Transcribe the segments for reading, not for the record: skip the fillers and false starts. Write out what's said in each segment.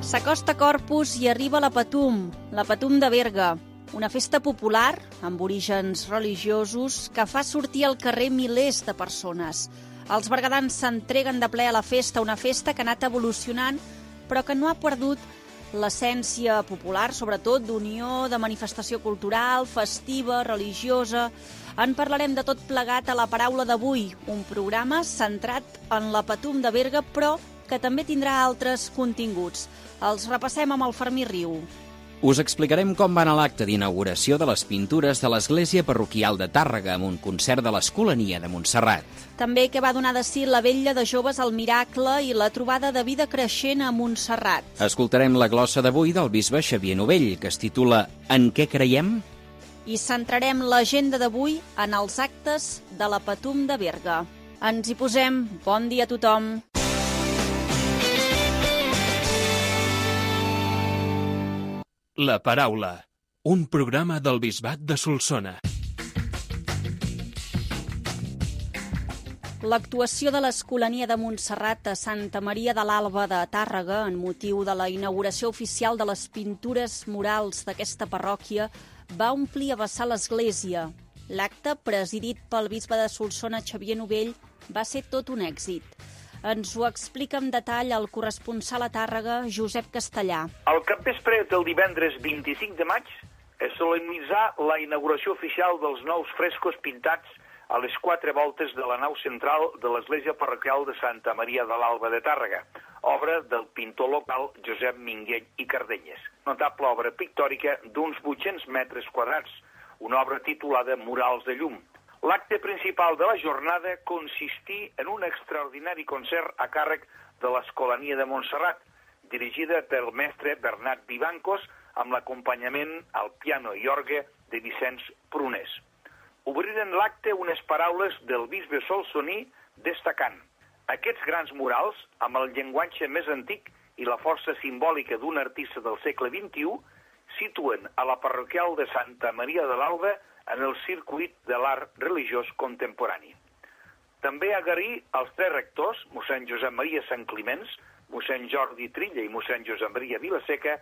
S'acosta Corpus i arriba la Patum de Berga, una festa popular amb orígens religiosos que fa sortir al carrer milers de persones. Els berguedans s'entreguen de ple a la festa, una festa que ha anat evolucionant però que no ha perdut l'essència popular, sobretot d'unió, de manifestació cultural, festiva, religiosa. En parlarem de tot plegat a La Paraula d'avui, un programa centrat en la Patum de Berga, però que també tindrà altres continguts. Els repassem amb el Fermí Riu. Us explicarem com va anar l'acte d'inauguració de les pintures de l'Església Parroquial de Tàrrega amb un concert de l'Escolania de Montserrat. També què va donar de si la vetlla de joves al Miracle i la trobada de vida creixent a Montserrat. Escoltarem la glossa d'avui del bisbe Xavier Novell, que es titula En què creiem? I centrarem l'agenda d'avui en els actes de la Patum de Berga. Ens hi posem. Bon dia a tothom. La Paraula, un programa del Bisbat de Solsona. L'actuació de l'Escolania de Montserrat a Santa Maria de l'Alba de Tàrrega, en motiu de la inauguració oficial de les pintures murals d'aquesta parròquia, va omplir a vessar l'església. L'acte, presidit pel bisbe de Solsona, Xavier Novell, va ser tot un èxit. Ens ho explica en detall el corresponsal a Tàrrega, Josep Castellà. Al capvespre del divendres 25 de maig es solemnitzà la inauguració oficial dels nous frescos pintats a les 4 voltes de la nau central de l'Església Parroquial de Santa Maria de l'Alba de Tàrrega, obra del pintor local Josep Minguell i Cardenyes. Notable obra pictòrica d'uns 800 metres quadrats, una obra titulada Murals de llum. L'acte principal de la jornada consistí en un extraordinari concert a càrrec de l'Escolania de Montserrat, dirigida pel mestre Bernat Vivancos, amb l'acompanyament al piano i orgue de Vicenç Prunés. Obriren l'acte unes paraules del bisbe solsoní destacant: aquests grans murals, amb el llenguatge més antic i la força simbòlica d'un artista del segle XXI, situen a la parroquial de Santa Maria de l'Alba en el circuit de l'art religiós contemporani. També agrair als 3 rectors, mossèn Josep Maria Sant Climenç, mossèn Jordi Trilla i mossèn Josep Maria Vilaseca,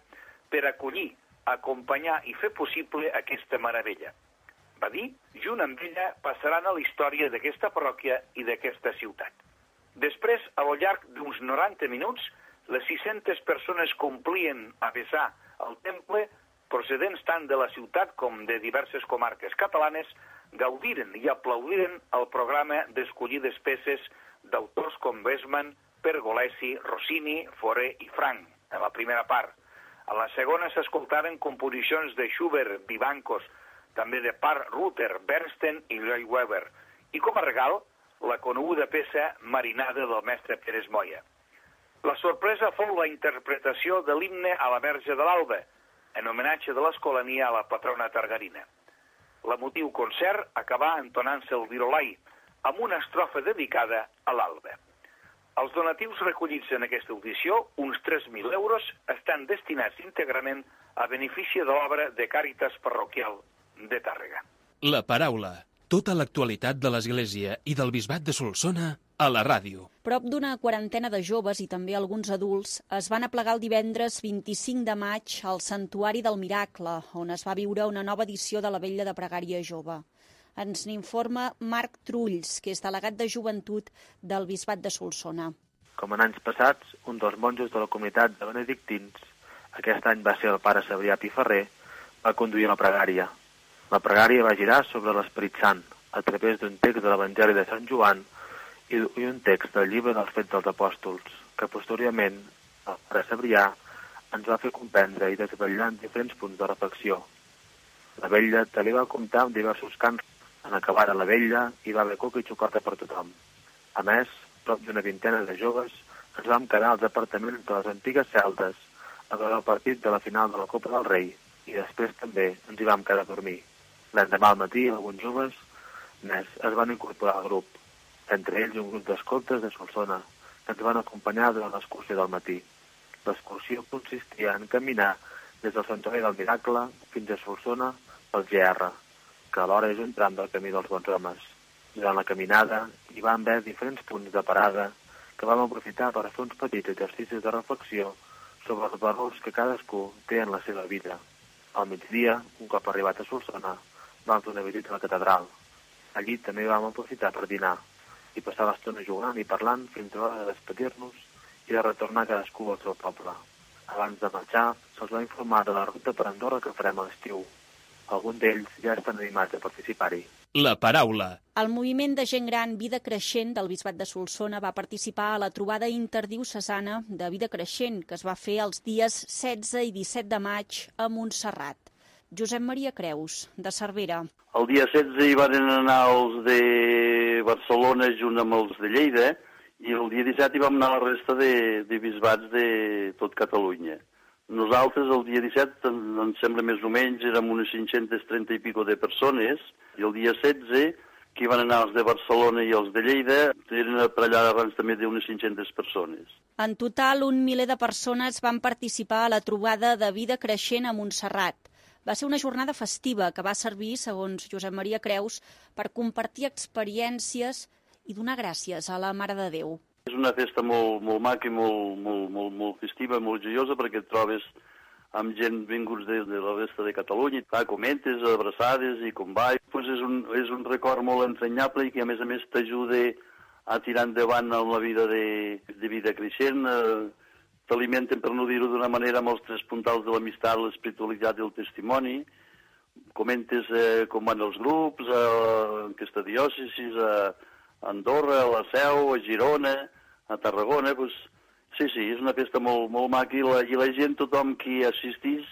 per acollir, acompanyar i fer possible aquesta meravella. Va dir, junt amb ella passaran a la història d'aquesta parròquia i d'aquesta ciutat. Després, al llarg d'uns 90 minuts, les 600 persones complien a vessar el temple, procedents tant de la ciutat com de diverses comarques catalanes, gaudiren i aplaudiren el programa d'escollides peces d'autors com Westman, Pergolesi, Rossini, Fauré i Frank, en la primera part. A la segona s'escoltaren composicions de Schubert, Vivancos, també de Part Ruther, Bernstein i Lloyd Webber, i com a regal, la coneguda peça Marinada del mestre Pérez Moya. La sorpresa fou la interpretació de l'himne a la Verge de l'Alba, en homenatge de l'Escolania a la patrona targarina. L'emotiu concert acabà entonant-se el virolai, amb una estrofa dedicada a l'Alba. Els donatius recollits en aquesta audició, uns 3.000 euros, estan destinats íntegrament a benefici de l'obra de Càritas Parroquial de Tàrrega. La Paraula, tota l'actualitat de l'Església i del Bisbat de Solsona a la ràdio. Prop d'una quarantena de joves i també alguns adults es van aplegar el divendres 25 de maig al Santuari del Miracle, on es va viure una nova edició de la Vetlla de Pregària Jove. Ens n'informa Marc Trulls, que és delegat de joventut del Bisbat de Solsona. Com en anys passats, un dels monjos de la comunitat de benedictins, aquest any va ser el pare Cebrià Piferrer, va conduir la pregària. La pregària va girar sobre l'Esperit Sant, a través d'un text de l'Evangeli de Sant Joan i un text del llibre dels Fets dels Apòstols, que posteriorment el pare Cebrià ens va fer comprendre i desvetllar en diferents punts de reflexió. La vetlla també va comptar amb diversos cants. En acabar la vetlla hi va haver coca i xocolata per tothom. A més, prop d'una vintena de joves ens vam quedar als apartaments de les antigues celdes a veure el partit de la final de la Copa del Rei i després també ens hi vam quedar a dormir. L'endemà al matí alguns joves més es van incorporar al grup, entre ells un grup d'escoltes de Solsona, que ens van acompanyar durant l'excursió del matí. L'excursió consistia en caminar des del Santuari del Miracle fins a Solsona pel GR, que alhora és un tram del camí dels Bons Homes. Durant la caminada hi van haver diferents punts de parada que vam aprofitar per fer uns petits exercicis de reflexió sobre els valors que cadascú té en la seva vida. Al migdia, un cop arribat a Solsona, vam fer una visita a la catedral. Allí també vam aprofitar per dinar i passar l'estona jugant i parlant fins a l'hora de despedir-nos i de retornar cadascú al seu poble. Abans de marxar, se'ls va informar de la ruta per Andorra que farem a l'estiu. Alguns d'ells ja estan animats a participar-hi. La paraula. El moviment de gent gran Vida Creixent del Bisbat de Solsona va participar a la trobada interdiocesana de Vida Creixent, que es va fer els dies 16 i 17 de maig a Montserrat. Josep Maria Creus, de Cervera. El dia 16 hi van anar els de Barcelona junt amb els de Lleida i el dia 17 hi vam anar la resta de bisbats de tot Catalunya. Nosaltres el dia 17, em sembla més o menys, érem unes 530 i pico de persones, i el dia 16, que hi van anar els de Barcelona i els de Lleida, eren per allà abans també d'unes 500 persones. En total, 1 miler de persones van participar a la trobada de Vida Creixent a Montserrat. Va ser una jornada festiva que va servir, segons Josep Maria Creus, per compartir experiències i donar gràcies a la Mare de Déu. És una festa molt maca i molt festiva, molt joiosa, perquè et trobes amb gent vinguts de la resta de Catalunya, comentes, abraçades i com va. Pues és un record molt entranyable i que a més t'ajuda a tirar endavant en la vida de Vida Creixent. T'alimenten, per no dir-ho d'una manera, amb els 3 puntals de l'amistat, l'espiritualitat i el testimoni. Comentes com van els grups, a aquesta diòcesi, a Andorra, a la Seu, a Girona, a Tarragona. Pues, sí, és una festa molt maca i la gent, tothom qui assistís,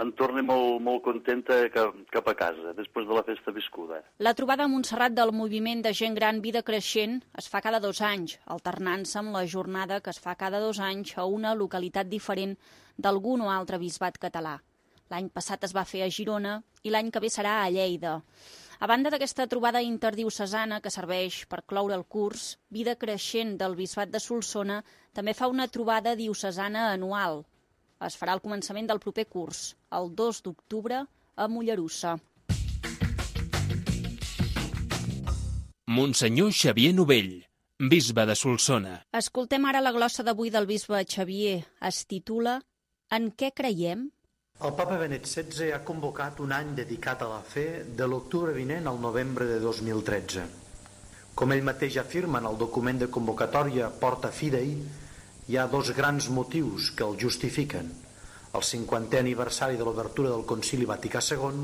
en torna molt contenta cap a casa, després de la festa viscuda. La trobada a Montserrat del moviment de gent gran Vida Creixent es fa cada 2 anys, alternant-se amb la jornada que es fa cada 2 anys a una localitat diferent d'algun o altre bisbat català. L'any passat es va fer a Girona i l'any que ve serà a Lleida. A banda d'aquesta trobada interdiocesana que serveix per cloure el curs, Vida Creixent del Bisbat de Solsona també fa una trobada diocesana anual. Es farà al començament del proper curs, el 2 d'octubre, a Mollerussa. Monsenyor Xavier Novell, bisbe de Solsona. Escoltem ara la glossa d'avui del bisbe Xavier. Es titula En què creiem? El papa Benet XVI ha convocat un any dedicat a la fe de l'octubre vinent al novembre de 2013. Com ell mateix afirma en el document de convocatòria Porta Fidei, hi ha 2 grans motius que el justifiquen: el 50è aniversari de l'obertura del Concili Vaticà II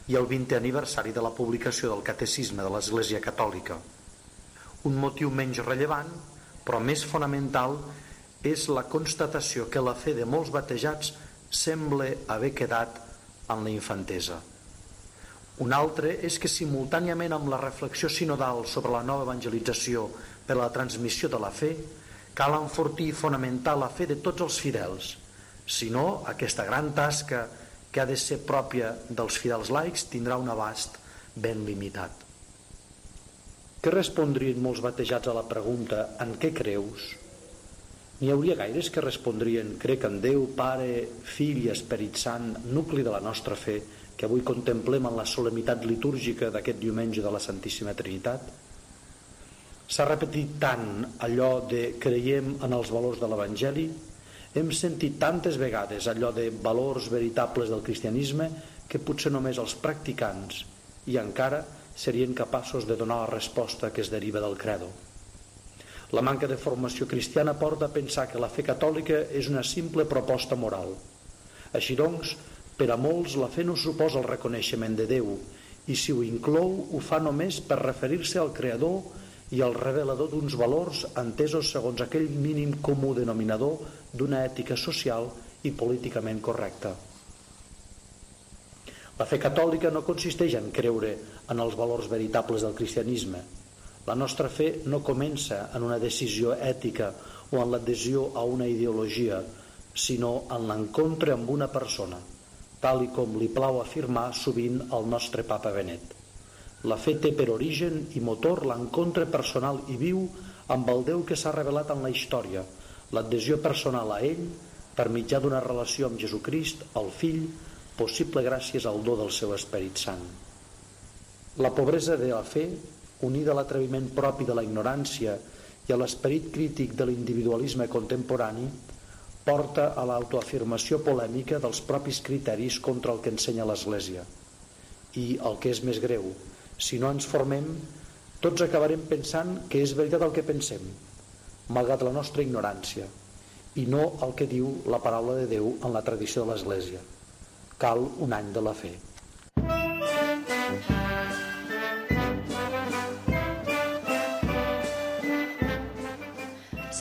i el 20è aniversari de la publicació del Catecisme de l'Església Catòlica. Un motiu menys rellevant, però més fonamental, és la constatació que la fe de molts batejats sembla haver quedat en la infantesa. Un altre és que simultàniament amb la reflexió sinodal sobre la nova evangelització per a la transmissió de la fe, cal enfortir i fonamentar la fe de tots els fidels. Si no, aquesta gran tasca que ha de ser pròpia dels fidels laics tindrà un abast ben limitat. Què respondrien molts batejats a la pregunta «En què creus?» N'hi hauria gaires que respondrien «Crec en Déu, Pare, Fill i Esperit Sant, nucli de la nostra fe, que avui contemplem en la solemnitat litúrgica d'aquest diumenge de la Santíssima Trinitat?» S'ha repetit tant allò de «creiem en els valors de l'Evangeli», hem sentit tantes vegades allò de valors veritables del cristianisme que potser només els practicants i encara serien capaços de donar la resposta que es deriva del credo. La manca de formació cristiana porta a pensar que la fe catòlica és una simple proposta moral. Així doncs, per a molts la fe no suposa el reconeixement de Déu i si ho inclou ho fa només per referir-se al Creador i al revelador d'uns valors entesos segons aquell mínim comú denominador d'una ètica social i políticament correcta. La fe catòlica no consisteix en creure en els valors veritables del cristianisme. La nostra fe no comença en una decisió ètica o en l'adhesió a una ideologia, sinó en l'encontre amb una persona, tal i com li plau afirmar sovint el nostre papa Benet. La fe té per origen i motor l'encontre personal i viu amb el Déu que s'ha revelat en la història, l'adhesió personal a ell per mitjà d'una relació amb Jesucrist, el Fill, possible gràcies al do del seu Esperit Sant. La pobresa de la fe, unida a l'atreviment propi de la ignorància i a l'esperit crític de l'individualisme contemporani, porta a l'autoafirmació polèmica dels propis criteris contra el que ensenya l'Església. I el que és més greu, si no ens formem, tots acabarem pensant que és veritat el que pensem, malgrat la nostra ignorància, i no el que diu la paraula de Déu en la tradició de l'Església. Cal un any de la fe.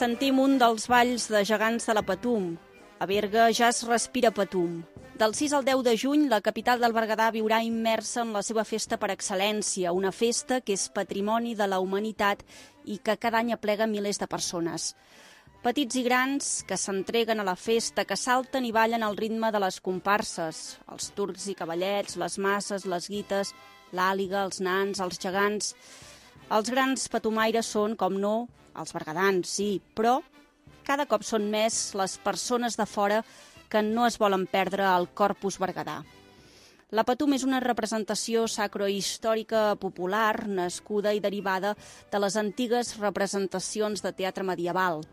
Sentim un dels balls de gegants de la Patum. A Berga ja es respira Patum. Del 6 al 10 de juny, la capital del Berguedà viurà immersa en la seva festa per excel·lència, una festa que és patrimoni de la humanitat i que cada any aplega milers de persones. Petits i grans que s'entreguen a la festa, que salten i ballen al ritme de les comparses, els turcs i cavallets, les masses, les guites, l'àliga, els nans, els gegants. Els grans patumaires són, com no, els berguedans, sí, però cada cop són més les persones de fora que no es volen perdre el Corpus Berguedà. La Patum és una representació sacrohistòrica popular nascuda i derivada de les antigues representacions de teatre medieval.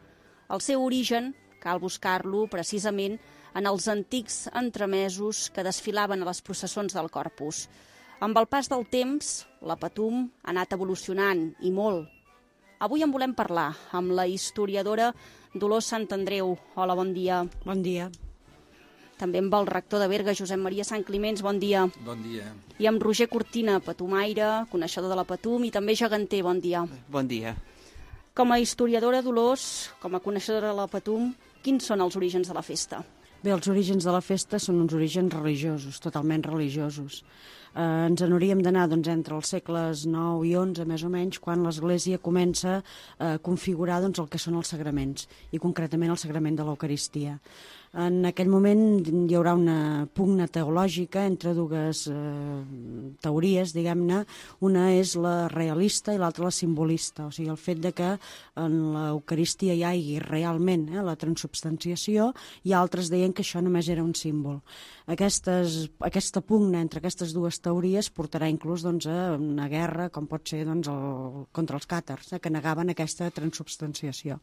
El seu origen cal buscar-lo precisament en els antics entremesos que desfilaven a les processons del Corpus. Amb el pas del temps, la Patum ha anat evolucionant, i molt. Avui en volem parlar amb la historiadora Dolors Santandreu. Hola, bon dia. Bon dia. També amb el rector de Berga, Josep Maria Sant Climenç, bon dia. Bon dia. I amb Roger Cortina, patumaire, coneixedor de la Patum i també geganter, bon dia. Bon dia. Com a historiadora, Dolors, com a coneixedora de la Patum, quins són els orígens de la festa? Bé, els orígens de la festa són uns orígens religiosos, totalment religiosos. Ens n'hauríem d'anar entre els segles IX i XI, més o menys, quan l'Església comença a configurar el que són els sagraments, i concretament el sagrament de l'Eucaristia. En aquell moment hi haurà una pugna teològica entre dues teories, diguem-ne. Una és la realista i l'altra la simbolista, o sigui, el fet de que en l'Eucaristia hi hagi realment la transubstanciació, i altres deien que això només era un símbol. Aquesta pugna entre aquestes dues teories portarà inclús a una guerra, com pot ser contra els càtars, que negaven aquesta transubstanciació.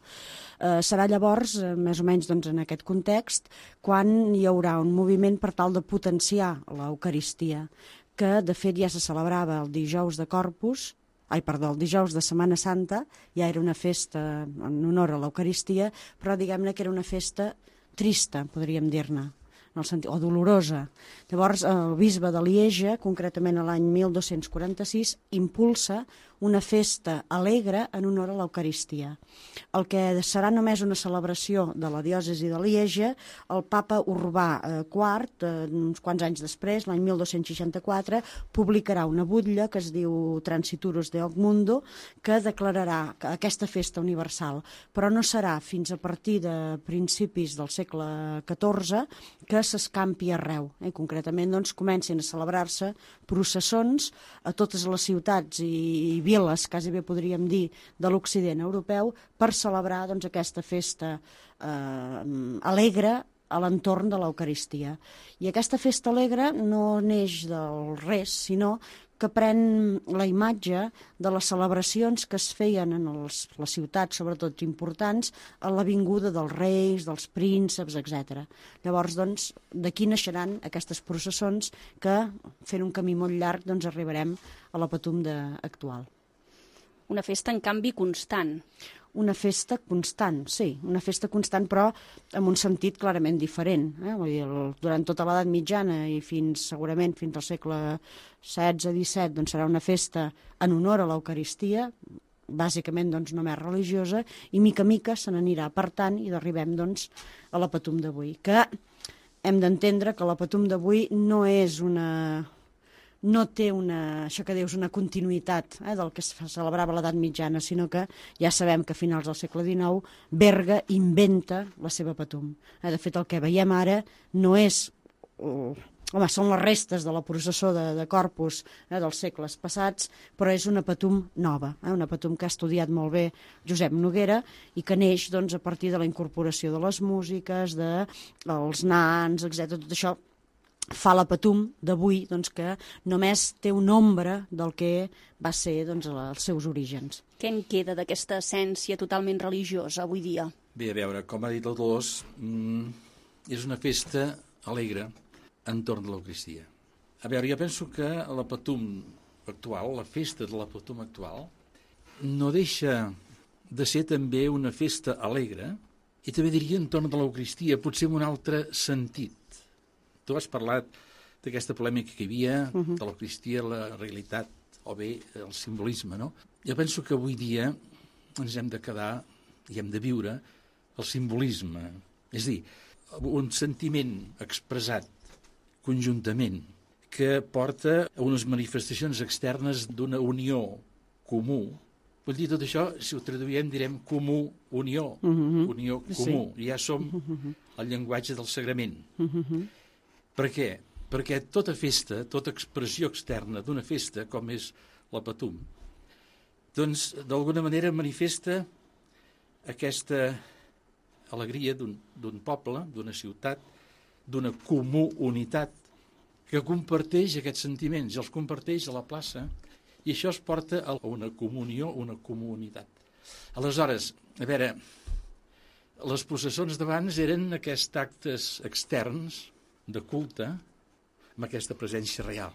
Serà llavors, més o menys en aquest context, quan hi haurà un moviment per tal de potenciar l'Eucaristia, que de fet ja se celebrava el dijous de Corpus, el dijous de Setmana Santa, ja era una festa en honor a l'Eucaristia, però diguem-ne que era una festa trista, podríem dir-ne, o dolorosa. Llavors, el bisbe de Lieja, concretament l'any 1246, impulsa una festa alegre en honor a l'Eucaristia. El que serà només una celebració de la diòcesi de Lieja, el papa Urbà IV, uns quants anys després, l'any 1264, publicarà una butlla que es diu Transiturus Deoc Mundo, que declararà aquesta festa universal, però no serà fins a partir de principis del segle XIV que s'escampi arreu. Concretament, comencin a celebrar-se processons a totes les ciutats i viles, quasi bé podríem dir, de l'Occident europeu, per celebrar aquesta festa alegre a l'entorn de l'Eucaristia. I aquesta festa alegre no neix del res, sinó que pren la imatge de les celebracions que es feien en les ciutats, sobretot importants, a la vinguda dels reis, dels prínceps, etc. Llavors, d'aquí naixeran aquestes processons que, fent un camí molt llarg, arribarem a la Patum actual. Una festa, en canvi, constant. Una festa constant, sí, una festa constant, però amb un sentit clarament diferent. Durant tota l'edat mitjana i segurament fins al segle XVI-XVII serà una festa en honor a l'Eucaristia, bàsicament només religiosa, i mica a mica se n'anirà apartant i arribem a la Patum d'avui, que hem d'entendre que la Patum d'avui no és no té això que dius, una continuïtat del que es celebrava a l'edat mitjana, sinó que ja sabem que a finals del segle XIX Berga inventa la seva Patum. De fet, el que veiem ara no és... són les restes de la processó de Corpus dels segles passats, però és una Patum nova, una Patum que ha estudiat molt bé Josep Noguera i que neix a partir de la incorporació de les músiques, dels nans, etc. Tot això fa la Patum d'avui, que només té una ombra del que va ser els seus orígens. Què en queda d'aquesta essència totalment religiosa avui dia? Bé, a veure, com ha dit el Dolors, és una festa alegre entorn de l'Eucaristia. A veure, jo penso que la Patum actual, la festa de la Patum actual, no deixa de ser també una festa alegre i també diria entorn de l'Eucaristia, potser amb un altre sentit. Tu has parlat d'aquesta polèmica que hi havia, de l'Eucaristia, la realitat, o bé el simbolisme, no? Jo penso que avui dia ens hem de quedar i hem de viure el simbolisme, és a dir, un sentiment expressat conjuntament que porta a unes manifestacions externes d'una unió comú. Vull dir, tot això, si ho traduïm, direm comú, unió, unió comú. Sí. Ja som el llenguatge del sagrament. Per què? Perquè tota festa, tota expressió externa d'una festa, com és la Patum, doncs, d'alguna manera manifesta aquesta alegria d'un poble, d'una ciutat, d'una comú unitat, que comparteix aquests sentiments, i els comparteix a la plaça, i això es porta a una comunió, una comunitat. Aleshores, a veure, les processons d'abans eren aquests actes externs de culte amb aquesta presència real.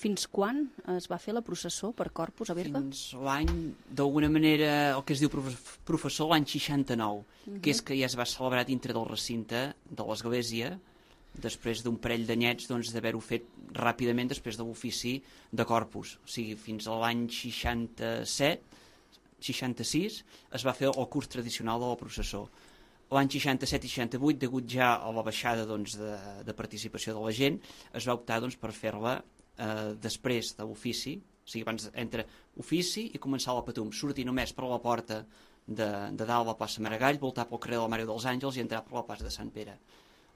Fins quan es va fer la processó per Corpus a Berga? Fins l'any, d'alguna manera, el que es diu professor, l'any 69, que és que ja es va celebrar dintre del recinte de l'església, després d'un parell d'anyets d'haver-ho fet ràpidament després de l'ofici de Corpus. O sigui, fins a l'any 66 es va fer el curs tradicional de la processó. L'any 67 i 68, degut ja a la baixada de participació de la gent, es va optar per fer-la després de l'ofici, o sigui, abans entre ofici i començar la Patum, sortir només per la porta de dalt a la plaça Maragall, voltar pel carrer de la Mare dels Àngels i entrar per la plaça de Sant Pere.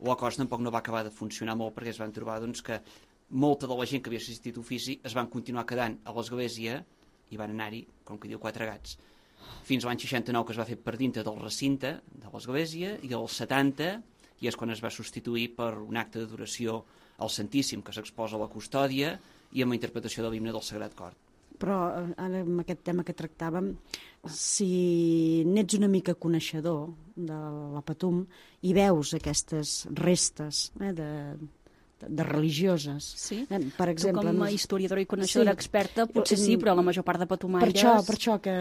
La cosa tampoc no va acabar de funcionar molt perquè es van trobar que molta de la gent que havia assistit a ofici es van continuar quedant a l'església i van anar-hi, com que diu, 4 gats. Fins a l'any 69 que es va fer per dintre del recinte de l'església i al 70 i és quan es va substituir per un acte d'adoració al Santíssim que s'exposa a la custòdia i amb la interpretació de l'himne del Sagrat Cor. Però ara amb aquest tema que tractàvem, si n'ets una mica coneixedor de la Patum i veus aquestes restes de religioses. Sí? Per exemple, tu com a historiadora i coneixedora experta potser sí, però la major part de patumaires... Per això que,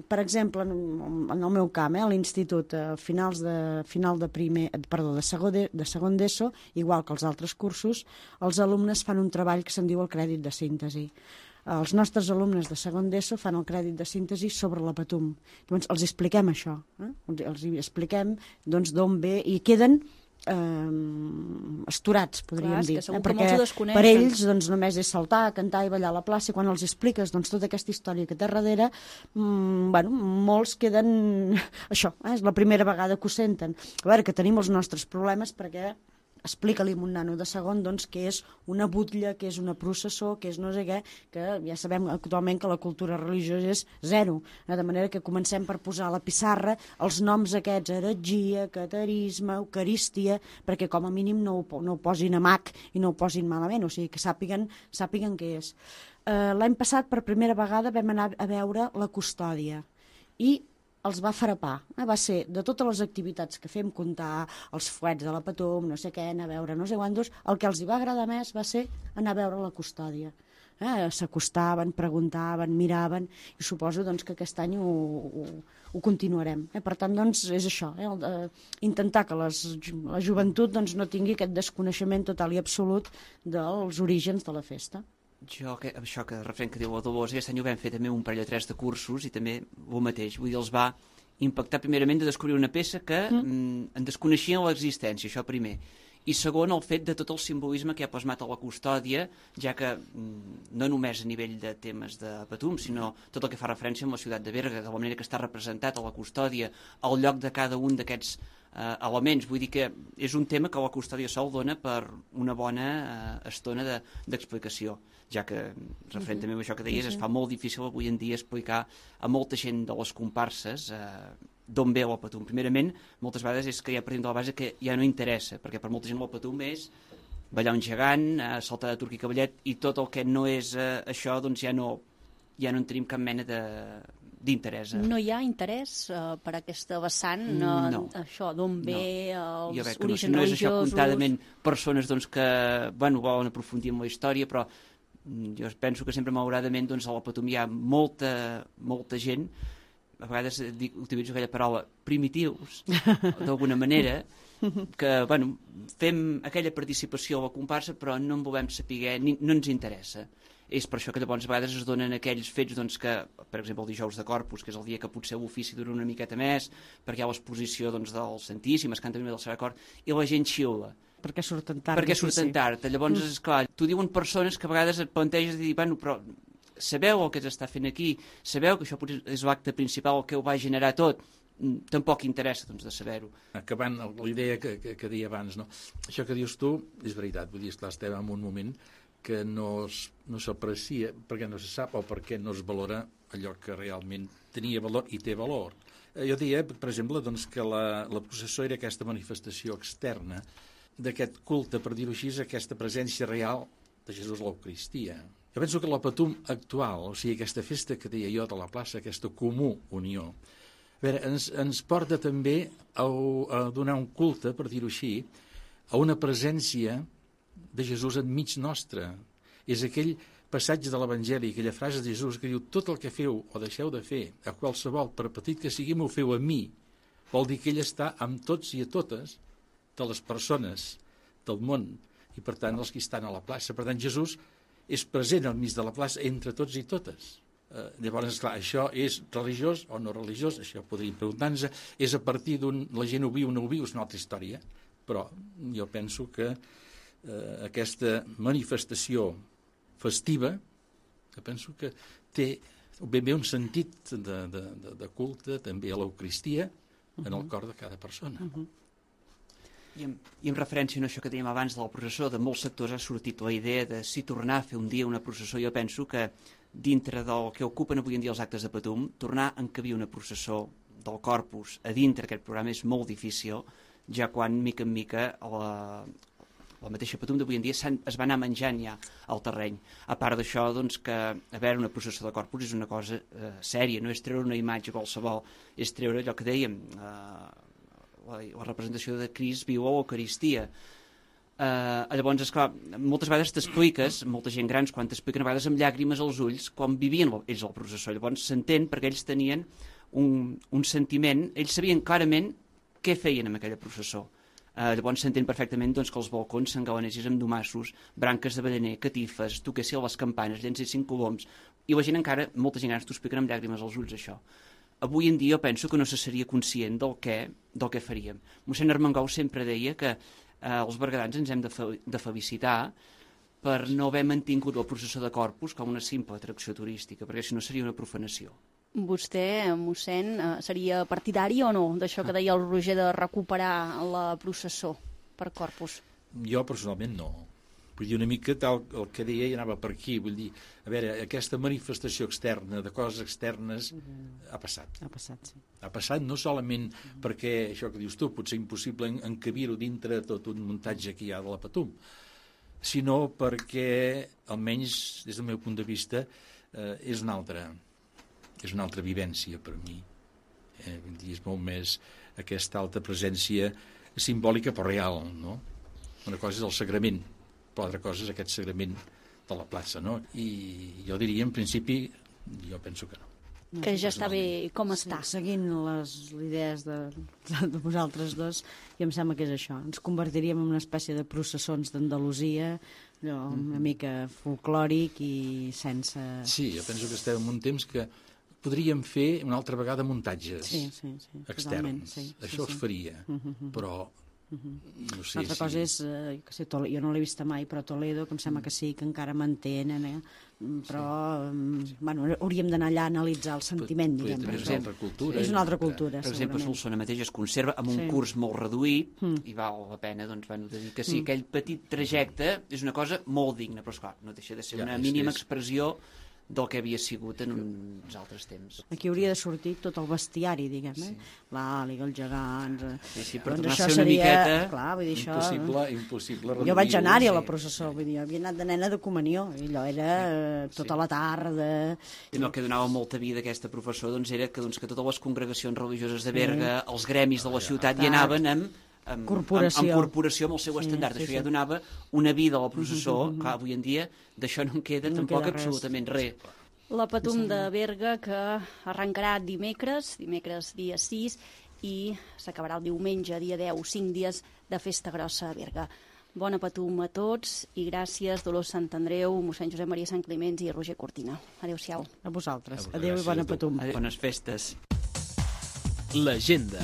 per exemple, en el meu camp, a l'institut, a finals de segon d'ESO, igual que els altres cursos, els alumnes fan un treball que se'n diu el crèdit de síntesi. Els nostres alumnes de segon d'ESO fan el crèdit de síntesi sobre la Patum. Llavors, els expliquem això. Els expliquem d'on ve i queden esturats, podríem dir. Perquè per ells només és saltar, cantar i ballar a la plaça, i quan els expliques tota aquesta història que té darrere, molts queden... Això, és la primera vegada que ho senten. A veure, que tenim els nostres problemes perquè explica-li a un nano de segon què és una butlla, què és una processó, què és no sé què, que ja sabem actualment que la cultura religiosa és zero. De manera que comencem per posar a la pissarra els noms aquests, heretgia, caterisme, eucaristia, perquè com a mínim no ho posin a mac i no ho posin malament, o sigui, que sàpiguen què és. L'any passat, per primera vegada, vam anar a veure la custòdia i els va frapar. Va ser, de totes les activitats que fem, comptar els fuets de la Patum, no sé què, anar a veure no sé quantos, el que els hi va agradar més va ser anar a veure la custòdia. S'acostaven, preguntaven, miraven, i suposo que aquest any ho continuarem. Per tant, és això, intentar que la joventut no tingui aquest desconeixement total i absolut dels orígens de la festa. Això que referent que diu la Dolors, aquest any ho vam fer també un parell o 3 de cursos i també el mateix, vull dir, els va impactar primerament de descobrir una peça que en desconeixien l'existència, això primer, i segon el fet de tot el simbolisme que ha plasmat a la custòdia, ja que no només a nivell de temes de Patum, sinó tot el que fa referència a la ciutat de Berga, de la manera que està representat a la custòdia, al lloc de cada un d'aquests elements. Vull dir que és un tema que la custòdia sol dona per una bona estona d'explicació, ja que, referent també a això que deies, es fa molt difícil avui en dia explicar a molta gent de les comparses d'on ve la Patum. Primerament, moltes vegades és que ja partim de la base que ja no interessa, perquè per molta gent la Patum és ballar un gegant, saltar de turc i cavallet, i tot el que no és això, ja no en tenim cap mena d'interès. No hi ha interès per aquesta vessant? No. Això, d'on ve els jo veig que orígens no és religiosos? això comptadament persones doncs, que volen aprofundir en la història, però jo penso que sempre malauradament doncs, a la Patum hi ha molta gent, a vegades utilitzo aquella paraula, primitius, d'alguna manera, que fem aquella participació a la comparsa però no en volem saber, no ens interessa. És per això que llavors a vegades es donen aquells fets doncs, que, per exemple, el dijous de Corpus, que és el dia que potser l'ofici dura una miqueta més, perquè hi ha l'exposició doncs, del Santíssim, es canta també del Serà Cor, i la gent xiula. Perquè surten tard. Perquè surten tard. Llavors, esclar, t'ho diuen persones que a vegades et planteges de dir, però sabeu el que s'està fent aquí, sabeu que això potser és l'acte principal, el que ho va generar tot, tampoc interessa doncs, de saber-ho. Acabant la idea que deia abans, no? Això que dius tu és veritat, vull dir, esclar, estem en un moment que no s'aprecia perquè no se sap o perquè no es valora allò que realment tenia valor i té valor. Jo diria, per exemple, doncs, que la processó era aquesta manifestació externa d'aquest culte, per dir-ho així, aquesta presència real de Jesús a l'Eucaristia. Jo penso que la Patum actual, o sigui, aquesta festa que deia jo de la plaça, aquesta comú unió, a veure, ens porta també a donar un culte, per dir-ho així, a una presència de Jesús enmig nostre. És aquell passatge de l'Evangeli, aquella frase de Jesús que diu tot el que feu o deixeu de fer a qualsevol, per petit que sigui, m'ho feu a mi. Vol dir que ell està amb tots i a totes de les persones del món i, per tant, els que estan a la plaça. Per tant, Jesús és present al mig de la plaça entre tots i totes. Llavors, esclar, això és religiós o no religiós? Això podríem preguntar-nos. És a partir la gent ho viu o no ho viu, és una altra història. Però jo penso que aquesta manifestació festiva, que penso que té ben bé un sentit de culte també a l'Eucaristia en el cor de cada persona. I en referència a això que dèiem abans de la processó, de molts sectors ha sortit la idea de si tornar a fer un dia una processó. Jo penso que dintre del que ocupen avui en dia els actes de Patum, tornar a encabir una processó del Corpus a dintre aquest programa és molt difícil, ja quan, mica en mica, la mateixa Patum d'avui en dia es va anar menjant ja al terreny. A part d'això, doncs, que a veure, una processó de Corpus és una cosa sèria, no és treure una imatge qualsevol, és treure allò que dèiem, la representació de Crist viu a l'Eucaristia. Llavors, esclar, moltes vegades t'expliques, molta gent grans, quan t'expliquen a vegades amb llàgrimes als ulls, com vivien ells a la processó. Llavors s'entén perquè ells tenien un sentiment, ells sabien clarament què feien amb aquella processó. Llavors s'entén perfectament doncs, que els balcons s'engalanessin amb domassos, branques d'avellaner, catifes, toquessin les campanes, llencessin coloms, i la gent encara, molta gent grans t'ho expliquen amb llàgrimes als ulls, això. Avui en dia jo penso que no se seria conscient del que faríem. Mossèn Armengou sempre deia que els berguedans ens hem de felicitar per no haver mantingut la processó de Corpus com una simple atracció turística, perquè si no seria una profanació. Vostè, mossèn, seria partidari o no d'això que deia el Roger de recuperar la processó per Corpus? Jo personalment no. Vull dir, una mica tal el que deia i anava per aquí. Vull dir, a veure, aquesta manifestació externa, de coses externes, ha passat. Ha passat, sí. Ha passat no solament perquè, això que dius tu, potser impossible encabir-ho dintre tot un muntatge que hi ha de la Patum, sinó perquè, almenys des del meu punt de vista, és una altra vivència per mi. Vull dir, és molt més aquesta alta presència simbòlica però real, no? Una cosa és el sagrament, però altra cosa és aquest sagrament de la plaça, no? I jo diria, en principi, jo penso que no. Que ja està bé com està. Seguint les idees de vosaltres dos, i em sembla que és això. Ens convertiríem en una espècie de processons d'Andalusia, una mica folclòric i sense... Sí, jo penso que estem en un temps que podríem fer una altra vegada muntatges externs. Això es faria, però... No sé, l'altra cosa és, jo no l'he vista mai, però Toledo, que em sembla que sí, que encara mantenen, però bueno, hauríem d'anar allà a analitzar el sentiment, diguem. És una altra cultura. És una altra cultura, per exemple, Solsona mateix es conserva amb un curs molt reduït i val la pena doncs, dir que sí, aquell petit trajecte és una cosa molt digna, però esclar, no deixa de ser una mínima expressió del que havia sigut en uns altres temps. Aquí hauria de sortir tot el bestiari, diguem, l'àliga, els gegants... Sí, però tornar a ser una miqueta... Clar, vull dir, això... Impossible. Jo vaig anar-hi a la processó, vull dir, havia anat de nena de comunió, i allò era tota la tarda... I el que donava molta vida a aquesta professor doncs, era que totes les congregacions religioses de Berga, els gremis de la ciutat, hi anaven amb corporació amb el seu estendard. Això ja donava una vida a la processó. Clar, avui en dia d'això no en queda tampoc absolutament res. La Patum de Berga, que arrencarà dimecres dia 6, i s'acabarà el diumenge, dia 10, 5 dies de festa grossa a Berga. Bona Patum a tots i gràcies Dolors Santandreu, mossèn Josep Maria Sant Climenç i Roger Cortina. Adéu-siau. A vosaltres. Adéu i bona Patum. Bones festes. L'agenda.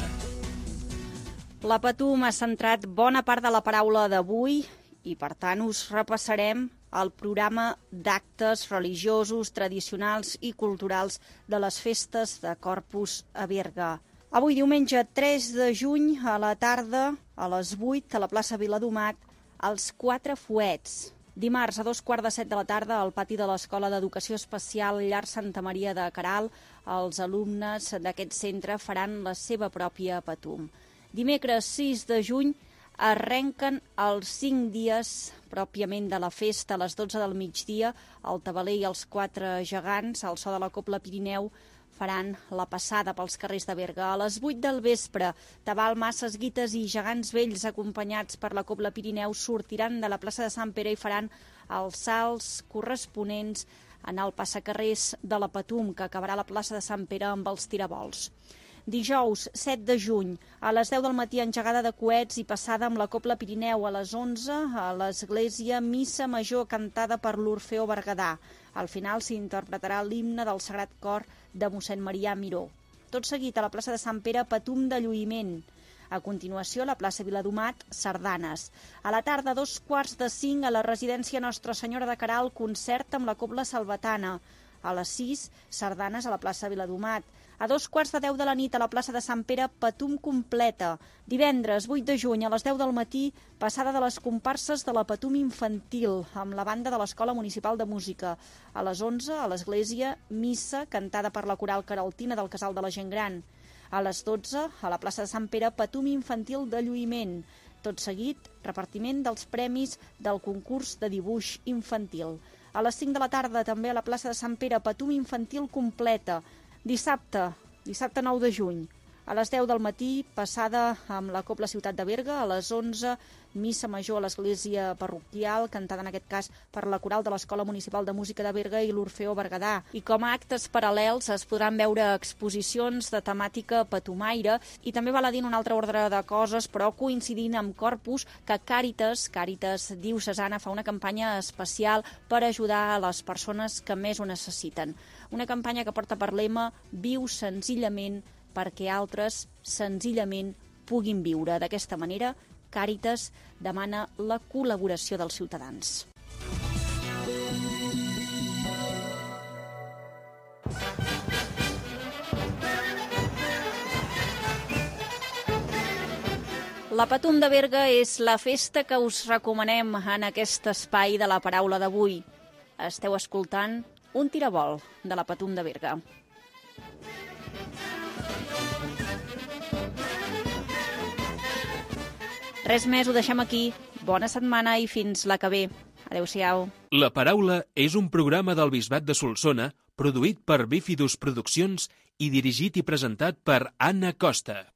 La Patum ha centrat bona part de la paraula d'avui i, per tant, us repassarem el programa d'actes religiosos, tradicionals i culturals de les festes de Corpus a Berga. Avui, diumenge 3 de juny, a la tarda, a les 8, a la plaça Viladomat, els 4 fuets. Dimarts, a 2:15 de la tarda, al pati de l'Escola d'Educació Especial Llar Santa Maria de Caral, els alumnes d'aquest centre faran la seva pròpia Patum. Dimecres 6 de juny arrenquen els 5 dies pròpiament de la festa. A les 12 del migdia, el tabaler i els 4 gegants, al so de la Cobla Pirineu, faran la passada pels carrers de Berga. A les 8 del vespre, Tabal, Masses, Guites i gegants vells acompanyats per la Cobla Pirineu sortiran de la plaça de Sant Pere i faran els salts corresponents en el passacarrers de la Patum, que acabarà a la plaça de Sant Pere amb els tirabols. Dijous, 7 de juny, a les 10 del matí, engegada de coets i passada amb la Cobla Pirineu. A les 11, a l'església, missa major cantada per l'Orfeó Berguedà. Al final s'interpretarà l'himne del Sagrat Cor de mossèn Marià Miró. Tot seguit, a la plaça de Sant Pere, Patum de lluïment. A continuació, a la plaça Viladomat, sardanes. A la tarda, 4:45, a la residència Nostra Senyora de Caral, concert amb la Cobla Salvatana. A les 6, sardanes a la plaça Viladomat. A 2:15 de la nit, a la plaça de Sant Pere, Patum completa. Divendres, 8 de juny, a les 10 del matí, passada de les comparses de la Patum infantil, amb la banda de l'Escola Municipal de Música. A les 11, a l'església, missa cantada per la coral caraltina del Casal de la Gent Gran. A les 12, a la plaça de Sant Pere, Patum infantil de lluïment. Tot seguit, repartiment dels premis del concurs de dibuix infantil. A les 5 de la tarda, també a la plaça de Sant Pere, Patum infantil completa. Dissabte 9 de juny, a les 10 del matí, passada amb la Cobla Ciutat de Berga. A les 11, missa major a l'església parroquial, cantada en aquest cas per la coral de l'Escola Municipal de Música de Berga i l'Orfeó Berguedà. I com a actes paral·lels es podran veure exposicions de temàtica patumaire i també val a dir en un altre ordre de coses, però coincidint amb Corpus, que Càritas Diocesana fa una campanya especial per ajudar a les persones que més ho necessiten. Una campanya que porta per lema "Viu senzillament perquè altres senzillament puguin viure". D'aquesta manera, Càritas demana la col·laboració dels ciutadans. La Patum de Berga és la festa que us recomanem en aquest espai de la paraula d'avui. Esteu escoltant un tirabol de la Patum de Berga. Res més, ho deixem aquí. Bona setmana i fins la que ve. Adéu-siau. La paraula és un programa del Bisbat de Solsona produït per Bífidus Produccions i dirigit i presentat per Anna Costa.